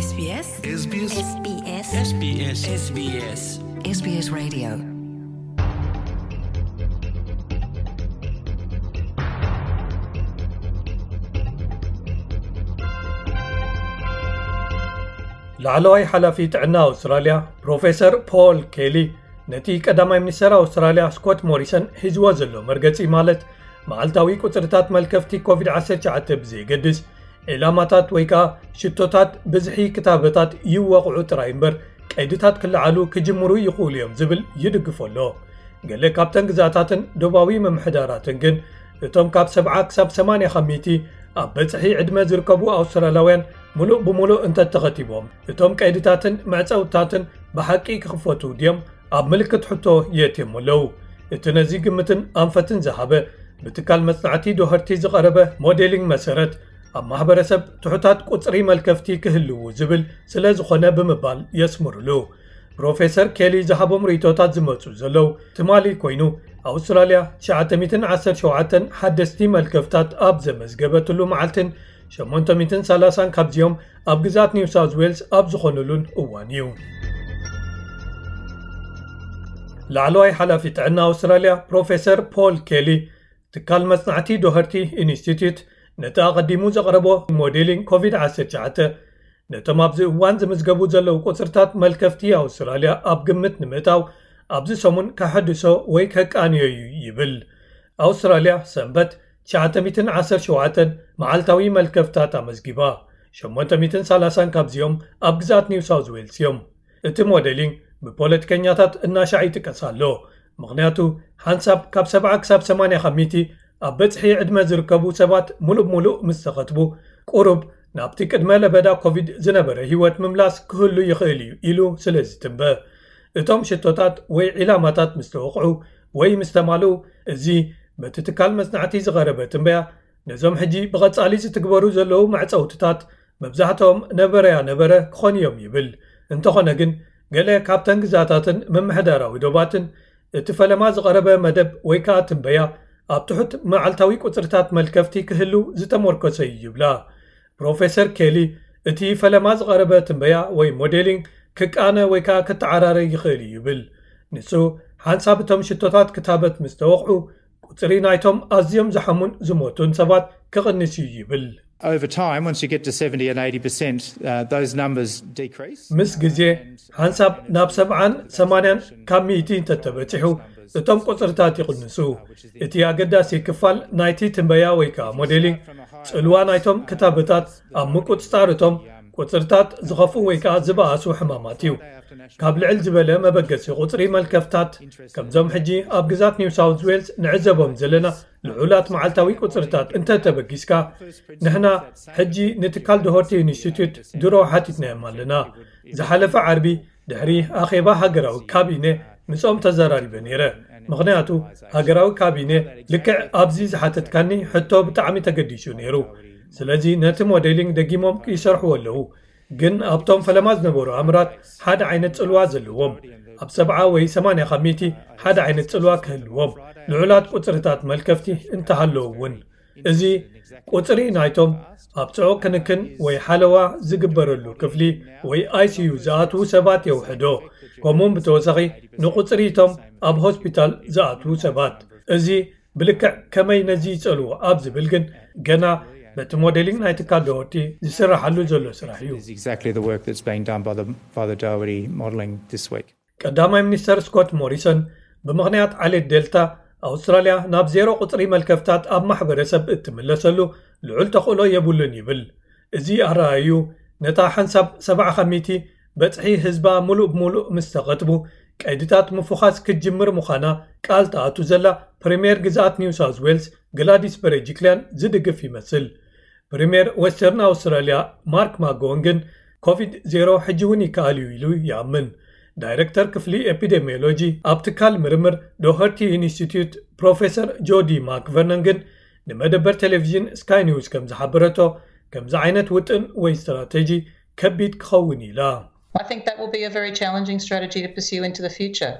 SBS SBS SBS SBS SBS SBS Radio. ላዕለዋይ ሓላፊ ጥዕና ኣውስትራልያ ፕሮፌሰር ፖል ኬሊ ነቲ ቀዳማይ ሚኒስተር ኣውስትራልያ ስኮት ሞሪሰን ሒዝዎ ዘሎ መርገጺ፣ ማለት መዓልታዊ ቁጽርታት መልከፍቲ ኮቪድ ዓሰርተ ትሽዓተ ብዘየገድስ፣ ዒላማታት ወይ ከኣ ሽቶታት ብዝሒ ክታበታት ይወቕዑ ጥራይ እምበር፣ ቀይድታት ክለዓሉ ክጅምሩ ይኽእሉ እዮም ዝብል ይድግፎ ኣሎ። ገለ ካብተን ግዛታትን ዶባዊ ምምሕዳራትን ግን፣ እቶም ካብ ሰብዓ ክሳብ ሰማንያ ካብ ሚእቲ ኣብ በጽሒ ዕድመ ዝርከቡ ኣውስትራልያውያን፣ ምሉእ ብምሉእ እንተተኸቲቦም፣ እቶም ቀይድታትን መዕጸውታትን ብሓቂ ክኽፈቱ ድዮም ኣብ ምልክት ሕቶ የእትዮም ኣለዉ። እቲ ነዚ ግምትን ኣንፈትን ዝሃበ፣ ብትካል መጽናዕቲ ዶሀርቲ ዝቐረበ ሞዴሊንግ መሰረት፣ ኣብ ማሕበረሰብ ትሑታት ቁጽሪ መልከፍቲ ክህልዉ ዝብል ስለ ዝኾነ ብምባል የስምርሉ። ፕሮፌሰር ኬሊ ዝሃቦም ርእይቶታት ዝመጹ ዘለዉ ትማሊ ኮይኑ፣ ኣውስትራልያ ትሽዓተ ሚእትን ዓሰርተ ሸውዓተን ሓደስቲ መልከፍታት ኣብ ዘመዝገበትሉ መዓልትን ሸሞንተ ሚእትን ሰላሳን ካብዚኦም ኣብ ግዛት ኒው ሳውዝ ዌልስ ኣብ ዝኾኑሉን እዋን እዩ። ላዕለዋይ ሓላፊ ጥዕና ኣውስትራልያ ፕሮፌሰር ፖል ኬሊ፣ ትካል መጽናዕቲ ዶሀርቲ ኢንስቲትዩት ነቲ ኣቐዲሙ ዘቕረቦ ሞዴሊንግ ኮቪድ ዓሰርተ ትሽዓተ፣ ነቶም ኣብዚ እዋን ዝምዝገቡ ዘለዉ ቁጽርታት መልከፍቲ ኣውስትራልያ ኣብ ግምት ንምእታው፣ ኣብዚ ሰሙን ከሐድሶ ወይ ከቃንዮ እዩ ይብል። ኣውስትራልያ ሰንበት ትሽዓተ ሚእትን ዓሰርተ ሸውዓተን መዓልታዊ መልከፍታት ኣመዝጊባ። ሸሞንተ ሚእትን ሰላሳን ካብዚኦም ኣብ ግዛት ኒው ሳውዝ ዌልስ እዮም። እቲ ሞዴሊንግ ብፖለቲከኛታት እናሻዕ ይጥቀስ ኣሎ። ምኽንያቱ፣ ሓንሳብ ካብ ሰብዓ ክሳብ ሰማንያ ካብ ሚእቲ ኣብ በጽሒ ዕድመ ዝርከቡ ሰባት ምሉእ ብምሉእ ምስ ተኸትቡ፣ ቁሩብ ናብቲ ቅድመ ለበዳ ኮቪድ ዝነበረ ህይወት ምምላስ ክህሉ ይኽእል እዩ ኢሉ ስለ ዝትንበ። እቶም ሽቶታት ወይ ዒላማታት ምስ ተወቕዑ ወይ ምስ ተማልኡ፣ እዚ በቲ ትካል መጽናዕቲ ዝቐረበ ትንበያ፣ ነዞም ሕጂ ብቐጻሊ ዝትግበሩ ዘለዉ መዕጸውትታት መብዛሕትኦም ነበረያ ነበረ ክኾኑ እዮም ይብል። እንተኾነ ግን፣ ገለ ካብተን ግዛታትን ምምሕዳራዊ ዶባትን እቲ ፈለማ ዝቐረበ መደብ ወይ ከኣ ትንበያ ኣብ ትሑት መዓልታዊ ቁጽርታት መልከፍቲ ክህሉ ዝተመርኮሰ እዩ ይብላ። ፕሮፌሰር ኬሊ፣ እቲ ፈለማ ዝቐረበ ትንበያ ወይ ሞዴሊንግ ክቃነ ወይ ከኣ ክተዓራረ ይኽእል እዩ ይብል። ንሱ፣ ሓንሳብ እቶም ሽቶታት ክታበት ምስ ተወቕዑ፣ ቁጽሪ ናይቶም ኣዝዮም ዝሓሙን ዝሞቱን ሰባት ክቕንስ እዩ ይብል። Over time, once you get to seventy and eighty percent, uh, those numbers decrease. ምስ ግዜ ሓንሳብ ናብ ሰብዓን ሰማንያን ካብ ሚእቲ እንተተበጺሑ፣ እቶም ቁጽርታት ይቕንሱ። እቲ ኣገዳሲ ክፋል ናይቲ ትንበያ ወይ ከኣ ሞዴሊንግ፣ ጽልዋ ናይቶም ክታበታት ኣብ ምቁጽጻር እቶም ቁጽርታት ዝኸፍኡ ወይ ከኣ ዝበኣሱ ሕማማት እዩ። ካብ ልዕል ዝበለ መበገሲ ቁጽሪ መልከፍታት፣ ከምዞም ሕጂ ኣብ ግዛት ኒው ሳውዝ ዌልስ ንዕዘቦም ዘለና ልዑላት መዓልታዊ ቁጽርታት እንተ ተበጊስካ፣ ንሕና ሕጂ ንትካል ዶሆርቲ ኢንስቲትዩት ድሮ ሓቲትናዮም ኣለና። ዝሓለፈ ዓርቢ ድሕሪ ኣኼባ ሃገራዊ ካቢነ ምስኦም ተዘራሪበ ነይረ። ምኽንያቱ፣ ሃገራዊ ካቢነ ልክዕ ኣብዚ ዝሓተትካኒ ሕቶ ብጣዕሚ ተገዲሱ ነይሩ። ስለዚ ነቲ ሞዴሊንግ ደጊሞም ይሰርሕዎ ኣለዉ። ግን ኣብቶም ፈለማ ዝነበሩ ኣምራት ሓደ ዓይነት ጽልዋ ዘለዎም፣ ኣብ ሰብዓ ወይ ሰማንያ ካብ ሚእቲ ሓደ ዓይነት ጽልዋ ክህልዎም፣ ልዑላት ቁጽርታት መልከፍቲ እንተሃለዉ እውን። እዚ ቁጽሪ ናይቶም ኣብ ጽዑቕ ክንክን ወይ ሓለዋ ዝግበረሉ ክፍሊ ወይ ኣይ ሲ ዩ ዝኣትዉ ሰባት የውሕዶ። ከምኡውን ብተወሳኺ ንቁጽሪ እቶም ኣብ ሆስፒታል ዝኣትዉ ሰባት። እዚ ብልክዕ ከመይ ነዚ ይጸልዎ ኣብ ዝብል ግን ገና በቲ ሞዴሊንግ ናይ ትካል ዶሆርቲ ዝስራሓሉ ዘሎ ስራሕ እዩ። Is exactly the work that's being done by the, by the Doherty modelling this week. ቀዳማይ ሚኒስተር ስኮት ሞሪሰን፣ ብምኽንያት ዓሌት ዴልታ፣ ኣውስትራልያ ናብ ዜሮ ቁጽሪ መልከፍታት ኣብ ማሕበረሰብ እትምለሰሉ ልዑል ተኽእሎ የብሉን ይብል። እዚ ኣረኣእዩ፣ ነታ ሓንሳብ ሰብዓ ካብ ሚእቲ በጽሒ ህዝባ ምሉእ ብምሉእ ምስ ተኸትቡ፣ ቀይድታት ምፉኻስ ክትጅምር ምዃና ቃል ትኣቱ ዘላ ፕሪምየር ግዝኣት ኒው ሳውዝ ዌልስ ግላዲስ በርጂክልያን ዝድግፍ ይመስል። ፕሪምየር ዌስተርን ኣውስትራልያ ማርክ ማጎወን ግን፣ ኮቪድ ዜሮ ሕጂ እውን ይከኣል እዩ ኢሉ ይኣምን። ዳይረክተር ክፍሊ ኤፒዴሚዮሎጂ ኣብ ትካል ምርምር ዶኸርቲ ኢንስቲትዩት ፕሮፌሰር ጆዲ ማክቨርነን ግን፣ ንመደበር ቴሌቪዥን ስካይ ኒውስ ከም ዝሓበረቶ፣ ከምዚ ዓይነት ውጥን ወይ ስትራተጂ ከቢድ ክኸውን ኢላ። I think that will be a very challenging strategy to pursue into the future.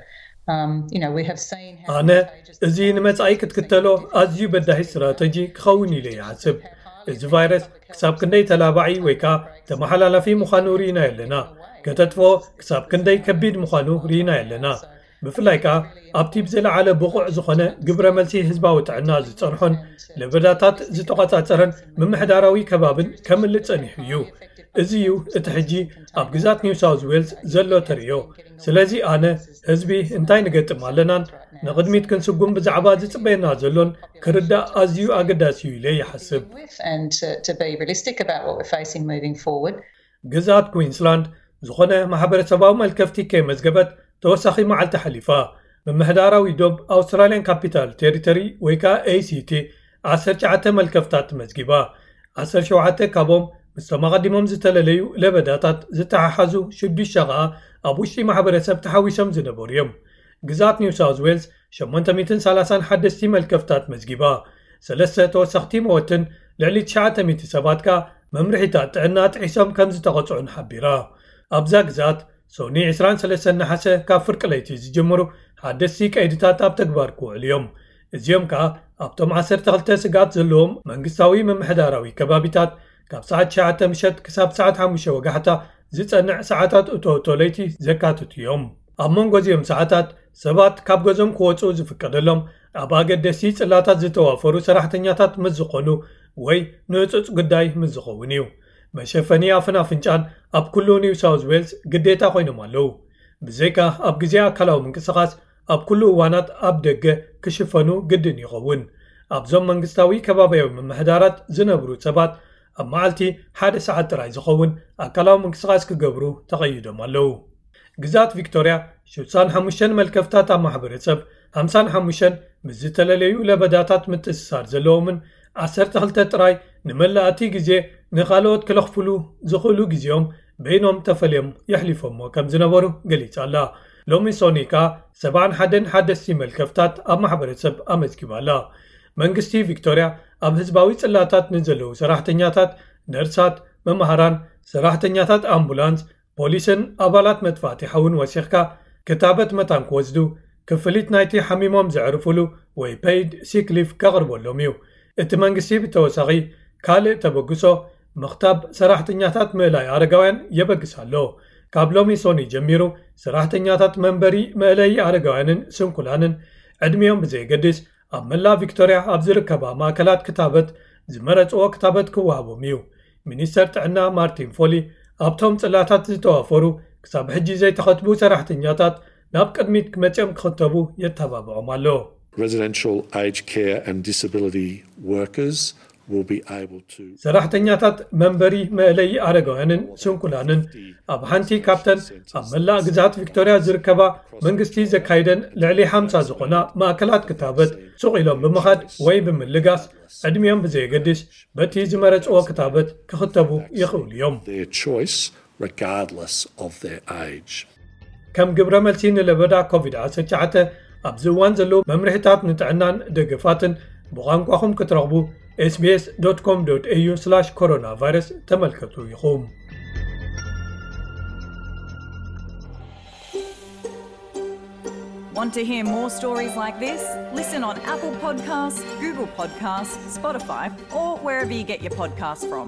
Um, you know, we have seen how ኣነ contagious እዚ ንመጻኢ ክትክተሎ ኣዝዩ በዳሂ ስትራተጂ ክኸውን ኢለ ይሓስብ። እዚ ቫይረስ ክሳብ ክንደይ ተላባዒ ወይ ከኣ ተመሓላላፊ ምዃኑ ርኢናዮ ኣለና። ከተጥፍኦ ክሳብ ክንደይ ከቢድ ምዃኑ ርኢናዮ ኣለና። ብፍላይ ከኣ ኣብቲ ብዝለዓለ ብቑዕ ዝኾነ ግብረ መልሲ ህዝባዊ ጥዕና ዝጸንሖን ለበዳታት ዝተቖጻጸረን ምምሕዳራዊ ከባብን ከምልጥ ጸኒሑ እዩ። እዚ እዩ እቲ ሕጂ ኣብ ግዛት ኒው ሳውዝ ዌልስ ዘሎ ተርእዮ። ስለዚ ኣነ ህዝቢ እንታይ ንገጥም ኣለናን ንቕድሚት ክንስጉም ብዛዕባ ዝጽበየና ዘሎን ክርዳእ ኣዝዩ ኣገዳሲ እዩ ኢለ ይሓስብ። And to, to be realistic about what we're facing moving forward. ግዛት ኩዊንስላንድ ዝኾነ ማሕበረሰባዊ መልከፍቲ ከይመዝገበት ተወሳኺ መዓልቲ ሓሊፋ። ምምሕዳራዊ ዶብ ኣውስትራልያን ካፒታል ቴሪቶሪ ወይ ከዓ ኤሲቲ ዓሰርተ ትሽዓተ መልከፍታት መዝጊባ። ዓሰርተ ሸውዓተ ካብኦም ምስቶም ኣቐዲሞም ዝተለለዩ ለበዳታት ዝተሓሓዙ፣ ሽዱሽተ ከዓ ኣብ ውሽጢ ማሕበረሰብ ተሓዊሶም ዝነበሩ እዮም። ግዛት ኒው ሳውዝ ዌልስ ሸሞንተ ሚእትን ሰላሳን ሓደስቲ መልከፍታት መዝጊባ። ሰለስተ ተወሰኽቲ መወትን ልዕሊ ትሽዓተ ሚእቲ ሰባት ከኣ መምርሒታት ጥዕና ጥሒሶም ከም ዝተቐጽዑን ሓቢራ። ኣብዛ ግዛት ሶኒ ዕስራን ሰለስተን ነሓሰ ካብ ፍርቂ ለይቲ ዝጅምሩ ሓደስቲ ቀይድታት ኣብ ተግባር ክውዕሉ እዮም። እዚኦም ከኣ ኣብቶም ዓሰርተ ክልተ ስግኣት ዘለዎም መንግስታዊ ምምሕዳራዊ ከባቢታት ካብ ሰዓት ትሽዓተ ምሸት ክሳብ ሰዓት ሓሙሽተ ወጋሕታ ዝጸንዕ ሰዓታት እቶ እቶ ለይቲ ዘካትቱ እዮም። ኣብ መንጎ እዚኦም ሰዓታት ሰባት ካብ ገዞም ክወጹ ዝፍቀደሎም ኣብ ኣገደስቲ ጽላታት ዝተዋፈሩ ሰራሕተኛታት ምስ ዝኾኑ ወይ ንህጹጽ ጉዳይ ምስ ዝኸውን እዩ። መሸፈኒ ኣፍን ኣፍንጫን ኣብ ኩሉ ኒው ሳውዝ ዌልስ ግዴታ ኮይኖም ኣለዉ። ብዘይካ ኣብ ግዜ ኣካላዊ ምንቅስቓስ ኣብ ኩሉ እዋናት ኣብ ደገ ክሽፈኑ ግድን ይኸውን። ኣብዞም መንግስታዊ ከባቢያዊ ምምሕዳራት ዝነብሩ ሰባት ኣብ መዓልቲ ሓደ ሰዓት ጥራይ ዝኸውን ኣካላዊ ምንቅስቓስ ክገብሩ ተቐይዶም ኣለዉ። ግዛት ቪክቶርያ ሽሳን ሓሙሽተን መልከፍታት ኣብ ማሕበረሰብ ሓምሳን ሓሙሽተን ምስ ዝተለለዩ ለበዳታት ምትእስሳር ዘለዎምን ዓሰርተ ክልተ ጥራይ ንመላእቲ ግዜ ንኻልኦት ክለኽፍሉ ዝኽእሉ ግዜኦም በይኖም ተፈልዮም የሕሊፎሞ ከም ዝነበሩ ገሊጻ ኣላ። ሎሚ ሶኒ ከኣ ሰብዓን ሓደን ሓደስቲ መልከፍታት ኣብ ማሕበረሰብ ኣመዝጊባ ኣላ። መንግስቲ ቪክቶርያ ኣብ ህዝባዊ ጽላታት ንዘለዉ ሰራሕተኛታት፣ ነርሳት፣ መምሃራን፣ ሰራሕተኛታት ኣምቡላንስ፣ ፖሊስን ኣባላት መጥፋእቲ ሓውን ወሲኽካ ክታበት መታን ክወስዱ ክፍሊት ናይቲ ሓሚሞም ዘዕርፉሉ ወይ ፔይድ ሲክ ሊቭ ከቕርበሎም እዩ። እቲ መንግስቲ ብተወሳኺ ካልእ ተበግሶ ምኽታብ ሰራሕተኛታት ምእላይ ኣረጋውያን የበግስ ኣሎ። ካብ ሎሚ ሶኒ ጀሚሩ ሰራሕተኛታት መንበሪ መእለዪ ኣረጋውያንን ስንኩላንን ዕድሚኦም ብዘየገድስ ኣብ መላእ ቪክቶርያ ኣብ ዝርከባ ማእከላት ክታበት ዝመረጽዎ ክታበት ክወሃቦም እዩ። ሚኒስተር ጥዕና ማርቲን ፎሊ ኣብቶም ጽላታት ዝተዋፈሩ ክሳብ ሕጂ ዘይተኸትቡ ሰራሕተኛታት ናብ ቅድሚት መጺኦም ክኽተቡ የተባብዖም ኣሎ። Residential aged care and disability workers will be able to ሰራሕተኛታት መንበሪ መእለዪ ኣረጋውያንን ስንኩላንን ኣብ ሓንቲ ካብተን ኣብ መላእ ግዛት ቪክቶርያ ዝርከባ መንግስቲ ዘካይደን ልዕሊ ሓምሳ ዝኾና ማእከላት ክታበት ሱቕ ኢሎም ብምኻድ ወይ ብምልጋስ ዕድሚኦም ብዘየገድስ በቲ ዝመረጽዎ ክታበት ክኽተቡ ይኽእሉ እዮም። their choice regardless of their age. ከም ግብረ መልሲ ንለበዳ ኮቪድ ዓሰርተ ትሽዓተ ኣብዚ እዋን ዘለዉ መምርሒታት ንጥዕናን ደገፋትን ብቋንቋኹም ክትረኽቡ ኤስቢኤስ ዶት ኮም ዶት ኤዩ ስላሽ ኮሮና ቫይረስ ተመልከቱ ኢኹም። Want to hear more stories like this? Listen on Apple Podcasts, Google Podcasts, Spotify, or wherever you get your podcasts from.